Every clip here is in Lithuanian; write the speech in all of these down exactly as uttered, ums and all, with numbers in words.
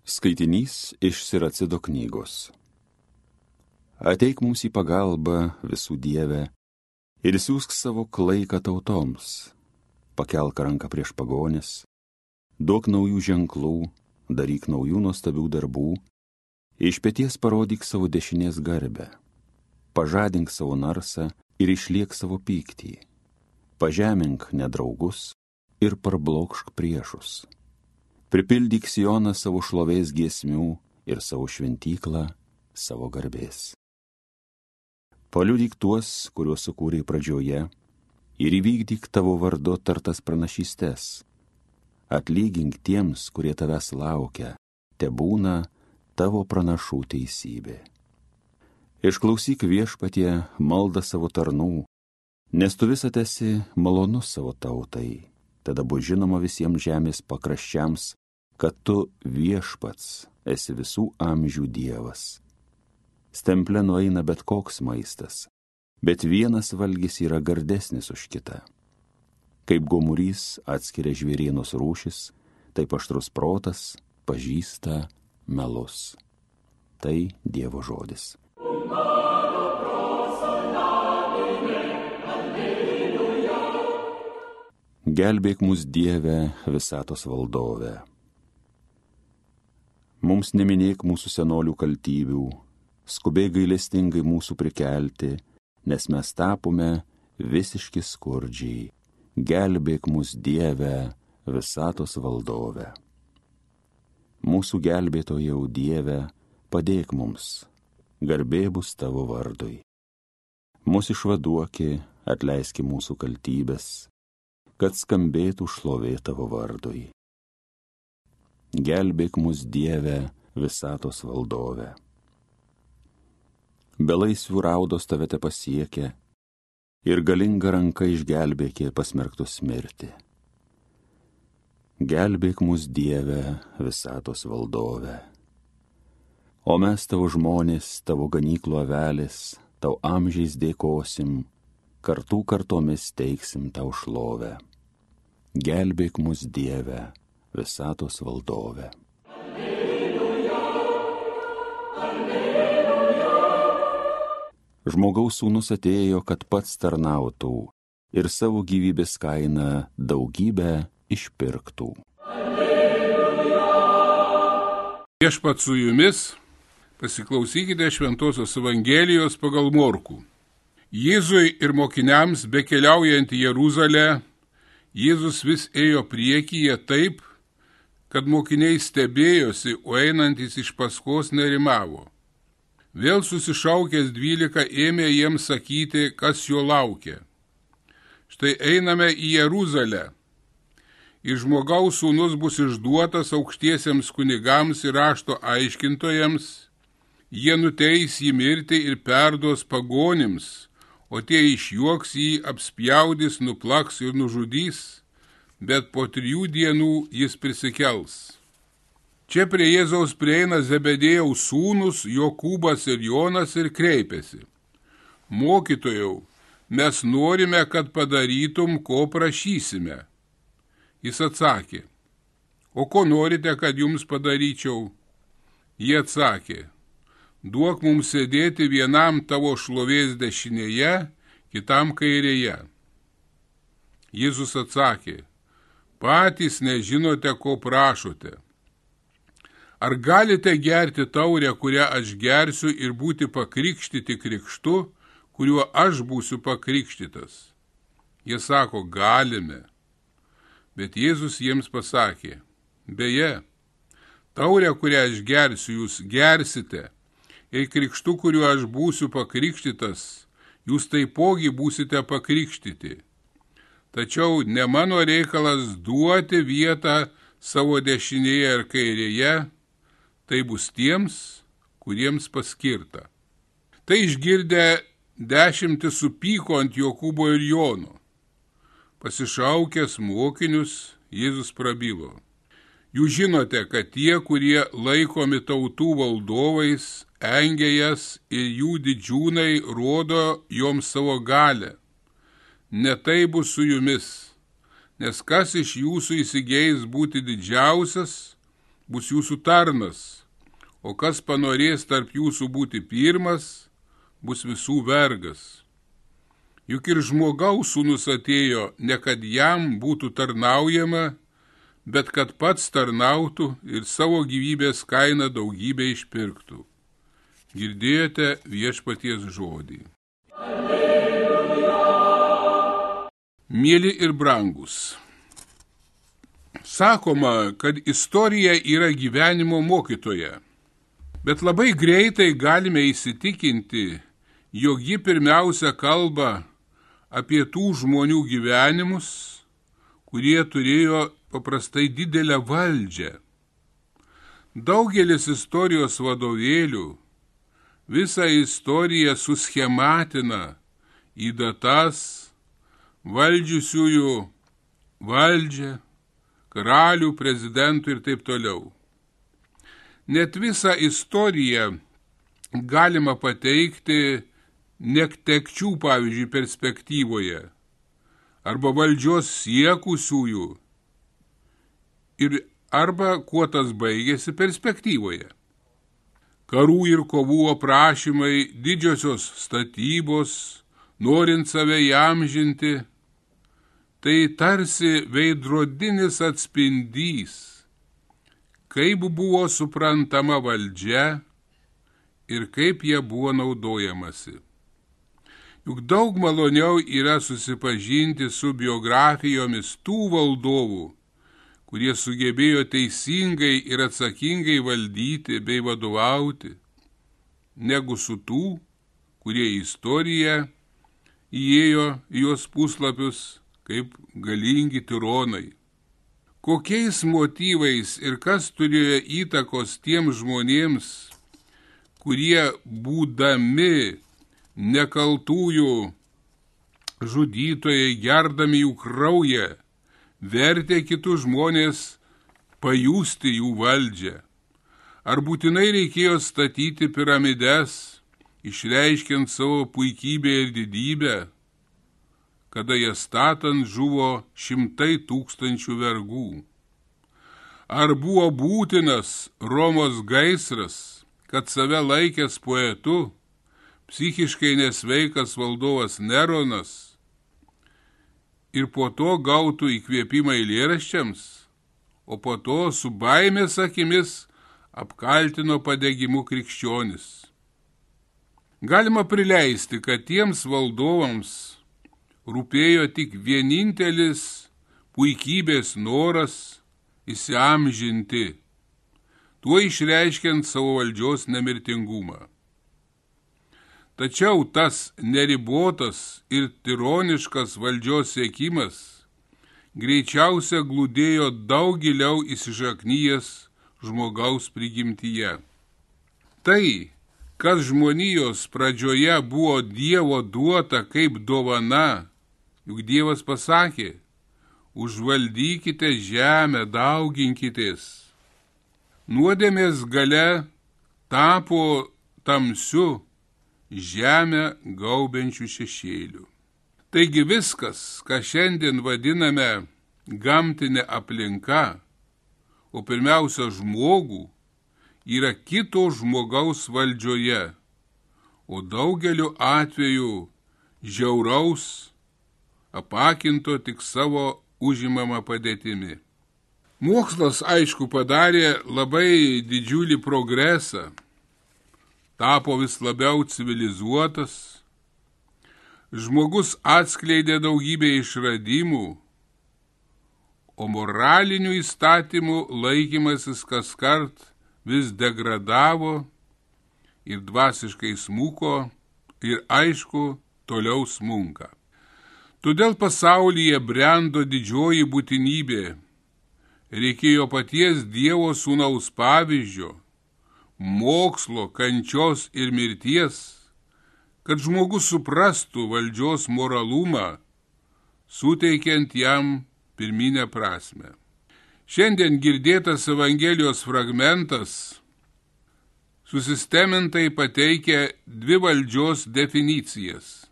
Skaitinys iš Siracido knygos. Ateik mums į pagalbą, visų Dieve, ir siųsk savo klaiką tautoms. Pakelk ranką prieš pagonis, duok naujų ženklų, daryk naujų nuostabių darbų, iš peties parodyk savo dešinės garbę, pažadink savo narsą ir išliek savo pyktį, pažemink nedraugus ir parblokšk priešus. Pripildyk Sioną savo šlovės giesmių ir savo šventyklą savo garbės. Paliudyk tuos, kuriuos sukūrei pradžioje, ir įvykdyk tavo vardu tartas pranašystes. Atlygink tiems, kurie tavęs laukia, tebūna tavo pranašų teisybė. Išklausyk Viešpatie maldą savo tarnų, nes tu visad esi malonus savo tautai, tada bus žinoma visiems žemės pakraščiams, kad tu Viešpats esi visų amžių Dievas. Stemple nueina bet koks maistas, bet vienas valgis yra gardesnis už kitą. Kaip gomurys atskiria žvėrienos rūšis, taip aštrus protas pažįsta melus. Tai Dievo žodis. Gelbėk mus, Dieve, visatos valdove. Mums neminėk mūsų senolių kaltybių, skubėk gailestingai mūsų prikelti, nes mes tapome visiški skurdžiai. Gelbėk mus, Dieve, visatos valdove. Mūsų gelbėtojau, Dieve, padėk mums, garbė bus tavo vardui. Mūsų išvaduoki, atleiski mūsų kaltybės, kad skambėtų šlovė tavo vardui. Gelbėk mus, Dieve, visatos valdove. Belaisvių raudos tave te pasiekė ir galinga ranka išgelbėkė pasmerktus mirti. Gelbėk mus, Dieve, visatos valdove. O mes tavo žmonės, tavo ganyklų avelės, tau amžiais dėkosim, kartų kartomis teiksim tau šlovę. Gelbėk mus, Dieve, visatos valdove. Alleluja, alleluja. Žmogaus sūnus atėjo, kad pats tarnautų ir savo gyvybės kainą daugybę išpirktų. Alleluja. Viešpats su jumis, pasiklausykite Šventosios Evangelijos pagal Morkų. Jėzui ir mokiniams bekeliaujant į Jeruzalę, Jėzus vis ėjo priekyje taip, kad mokiniai stebėjosi, o einantis iš paskos nerimavo. Vėl susišaukęs dvylika ėmė jiems sakyti, kas jo laukia. Štai einame į Jeruzalę. Ir žmogaus sūnus bus išduotas aukštiesiems kunigams ir rašto aiškintojams. Jie nuteis jį mirti ir perduos pagonims, o tie išjuoks jį, apspjaudys, nuplaks ir nužudys, bet po trijų dienų jis prisikels. Čia prie Jėzaus prieina Zebedėjaus sūnus, Jokūbas ir Jonas ir kreipėsi. Mokytojau, mes norime, kad padarytum, ko prašysime. Jis atsakė, o ko norite, kad jums padaryčiau? Jie atsakė, duok mums sėdėti vienam tavo šlovės dešinėje, kitam kairėje. Jėzus atsakė, patys nežinote, ko prašote. Ar galite gerti taurę, kurią aš gersiu, ir būti pakrikštyti krikštu, kuriuo aš būsiu pakrikštytas? Jie sako, galime. Bet Jėzus jiems pasakė, beje, taurę, kurią aš gersiu, jūs gersite, ir krikštu, kuriuo aš būsiu pakrikštytas, jūs taipogi būsite pakrikštyti. Tačiau ne mano reikalas duoti vietą savo dešinėje ir kairėje, tai bus tiems, kuriems paskirta. Tai išgirdę dešimtis supyko ant Jokūbo ir Jono. Pasišaukęs mokinius, Jėzus prabilo. Jūs žinote, kad tie, kurie laikomi tautų valdovais, engia jas ir jų didžiūnai rodo joms savo galę. Ne tai bus su jumis, nes kas iš jūsų įsigeis būti didžiausias, bus jūsų tarnas, o kas panorės tarp jūsų būti pirmas, bus visų vergas. Juk ir žmogaus sūnus atėjo, ne kad jam būtų tarnaujama, bet kad pats tarnautų ir savo gyvybės kainą daugybę išpirktų. Girdėjote viešpaties žodį. Alleluja. Mieli ir brangus, sakoma, kad istorija yra gyvenimo mokytoja, bet labai greitai galime įsitikinti, jog ji pirmiausia kalba apie tų žmonių gyvenimus, kurie turėjo paprastai didelę valdžią. Daugelis istorijos vadovėlių visą istoriją suschematina į datas, valdžiusiųjų valdžią, karalių, prezidentų ir taip toliau. Net visą istoriją galima pateikti netekčių, pavyzdžiui, perspektyvoje, arba valdžios siekusiųjų, ir arba kuo tas baigėsi perspektyvoje. Karų ir kovų aprašymai, didžiosios statybos, norint save įamžinti, tai tarsi veidrodinis atspindys, kaip buvo suprantama valdžia ir kaip jie buvo naudojamasi. Juk daug maloniau yra susipažinti su biografijomis tų valdovų, kurie sugebėjo teisingai ir atsakingai valdyti bei vadovauti, negu su tų, kurie į istoriją įėjo į jos puslapius kaip galingi tironai. Kokiais motyvais ir kas turėjo įtakos tiems žmonėms, kurie būdami nekaltųjų žudytojai, gerdami jų kraują, vertė kitus žmonės pajusti jų valdžią. Ar būtinai reikėjo statyti piramides, išreiškiant savo puikybę ir didybę, kada jas statant žuvo šimtai tūkstančių vergų? Ar buvo būtinas Romos gaisras, kad save laikęs poetu, psichiškai nesveikas valdovas Neronas ir po to gautų įkvėpimą eilėraščiams, o po to su baimės akimis apkaltino padegimu krikščionis? Galima prileisti, kad tiems valdovams rūpėjo tik vienintelis puikybės noras įsiamžinti, tuo išreiškiant savo valdžios nemirtingumą. Tačiau tas neribotas ir tironiškas valdžios siekimas greičiausia glūdėjo daug giliau įsišaknyjęs žmogaus prigimtyje. Tai, kas žmonijos pradžioje buvo Dievo duota kaip dovana, juk Dievas pasakė, užvaldykite žemę, dauginkitės. Nuodėmės gale tapo tamsiu, žemę gaubiančių šešėlių. Taigi viskas, ką šiandien vadiname gamtinė aplinka, o pirmiausia žmogų, yra kito žmogaus valdžioje, o daugeliu atveju žiauraus, apakinto tik savo užimamą padėtimi. Mokslas, aišku, padarė labai didžiulį progresą, tapo vis labiau civilizuotas, žmogus atskleidė daugybę išradimų, o moralinių įstatymų laikymasis kaskart vis degradavo ir dvasiškai smuko ir aišku toliau smunka. Todėl pasaulyje brendo didžioji būtinybė, reikėjo paties Dievo sūnaus pavyzdžio, mokslo, kančios ir mirties, kad žmogus suprastų valdžios moralumą, suteikiant jam pirminę prasme. Šiandien girdėtas Evangelijos fragmentas susistemintai pateikia dvi valdžios definicijas.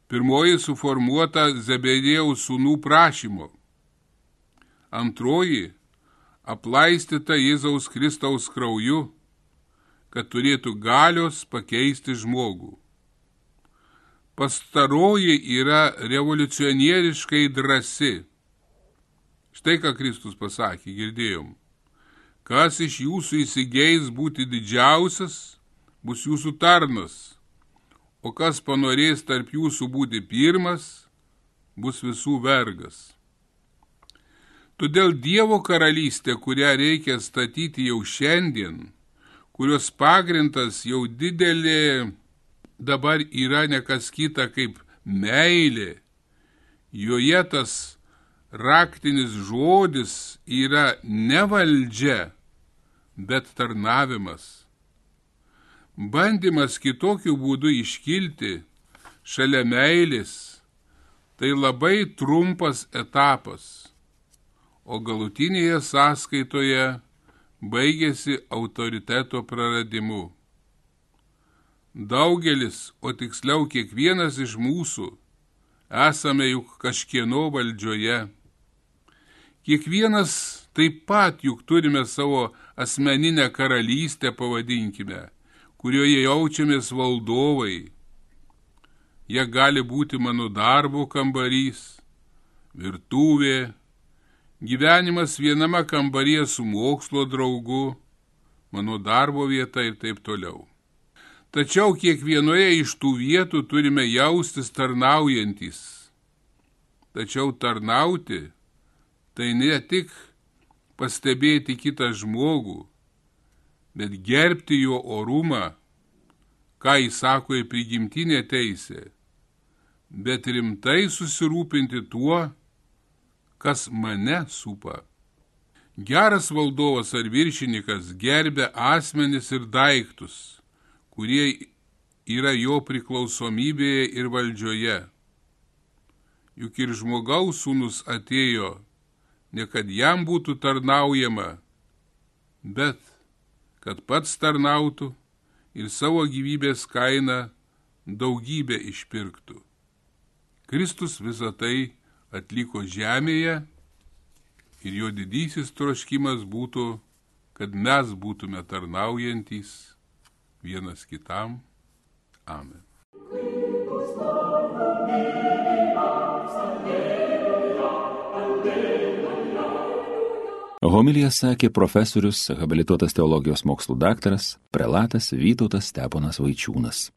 Pirmoji suformuota Zebedėjaus sūnų prašymo, antroji aplaistyta Jėzaus Kristaus krauju, kad turėtų galios pakeisti žmogų. Pastaroji yra revoliucionieriškai drąsi. Štai ką Kristus pasakė, girdėjom. Kas iš jūsų įsigeis būti didžiausias, bus jūsų tarnas, o kas panorės tarp jūsų būti pirmas, bus visų vergas. Todėl Dievo karalystė, kurią reikia statyti jau šiandien, kurios pagrindas jau didelė dabar yra ne kas kita kaip meilė, joje tas raktinis žodis yra ne valdžia, bet tarnavimas. Bandymas kitokiu būdu iškilti šalia meilės, tai labai trumpas etapas, o galutinėje sąskaitoje baigėsi autoriteto praradimu. Daugelis, o tiksliau kiekvienas iš mūsų, esame juk kažkieno valdžioje. Kiekvienas taip pat juk turime savo asmeninę karalystę, pavadinkime, kurioje jaučiamės valdovai. Jie gali būti mano darbo kambarys, virtuvė, gyvenimas viename kambaryje su mokslo draugu, mano darbo vieta ir taip toliau. Tačiau kiekvienoje iš tų vietų turime jaustis tarnaujantys. Tačiau tarnauti tai ne tik pastebėti kitą žmogų, bet gerbti jo orumą, ką jis sako į prigimtinę teisę, bet rimtai susirūpinti tuo, kas mane supa. Geras valdovas ar viršininkas gerbia asmenis ir daiktus, kurie yra jo priklausomybėje ir valdžioje. Juk ir žmogaus sūnus atėjo, ne kad jam būtų tarnaujama, bet kad pats tarnautų ir savo gyvybės kainą daugybę išpirktų. Kristus visą tai atliko žemėje ir jo didysis troškimas būtų, kad mes būtume tarnaujantys vienas kitam. Amen. Homiliją sakė profesorius, habilituotas teologijos mokslų daktaras, prelatas Vytautas Steponas Vaičiūnas.